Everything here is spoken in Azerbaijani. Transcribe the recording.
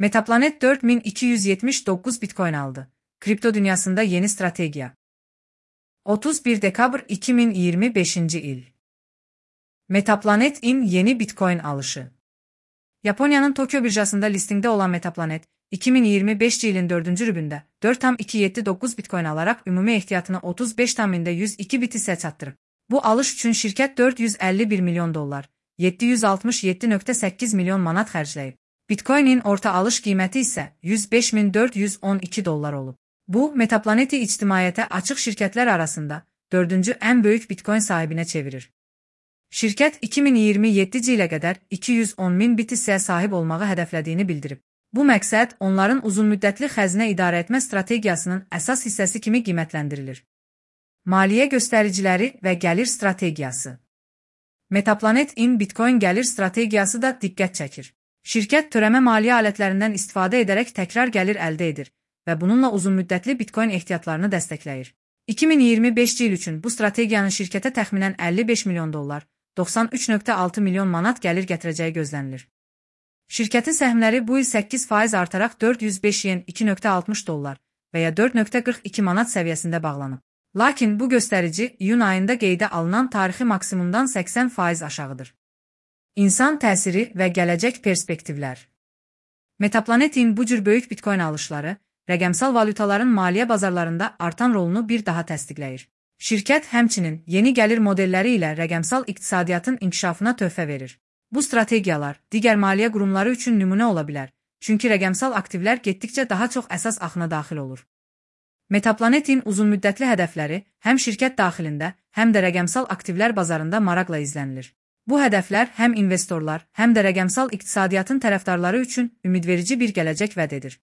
Metaplanet 4279 Bitcoin aldı. Kripto dünyasında yeni strateji. 31 Dekabr 2025 il. Metaplanet'in yeni Bitcoin alışı. Japonya'nın Tokyo birjasında listingde olan Metaplanet, 2025 yılın 4. rübündə 4,279 Bitcoin alarak ümumi ehtiyatını 35,102 BTC çatdırıb. Bu alış üçün şirkət $451 milyon, $767,8 milyon manat xərcləyib. Bitcoin'in orta alış qiyməti isə $105,412 olub. Bu, Metaplanet'i ictimaiyyətə açıq şirkətlər arasında 4-cü ən böyük Bitcoin sahibinə çevirir. Şirkət 2027 ilə qədər 210.000 BTC-yə sahib olmağı hədəflədiyini bildirib. Bu məqsəd onların uzunmüddətli xəzinə idarə etmə strategiyasının əsas hissəsi kimi qiymətləndirilir. Maliyyə göstəriciləri və gəlir strategiyası. Metaplanet-in Bitcoin gəlir strategiyası da diqqət çəkir. Şirkət törəmə maliyyə alətlərindən istifadə edərək təkrar gəlir əldə edir və bununla uzunmüddətli Bitcoin ehtiyatlarını dəstəkləyir. 2025 il üçün bu strategiyanın şirkətə təxminən $55 milyon, $93,6 milyon manat gəlir gətirəcəyi gözlənilir. Şirkətin səhmləri bu il 8% artaraq $405,260 və ya $4,42 manat səviyyəsində bağlanıb. Lakin bu göstərici iyun ayında qeydə alınan tarixi maksimumdan 80% aşağıdır. İnsan təsiri və gələcək perspektivlər. Metaplanet-in bu cür böyük Bitcoin alışları, rəqəmsal valyutaların maliyyə bazarlarında artan rolunu bir daha təsdiqləyir. Şirkət həmçinin yeni gəlir modelləri ilə rəqəmsal iqtisadiyyatın inkişafına töhfə verir. Bu strategiyalar digər maliyyə qurumları üçün nümunə ola bilər, çünki rəqəmsal aktivlər getdikcə daha çox əsas axına daxil olur. Metaplanet-in uzunmüddətli hədəfləri həm şirkət daxilində, həm də rəqəmsal aktivlər bazarında maraqla izlənilir. Bu hədəflər həm investorlar, həm də rəqəmsal iqtisadiyyatın tərəfdarları üçün ümidverici bir gələcək vəd edir.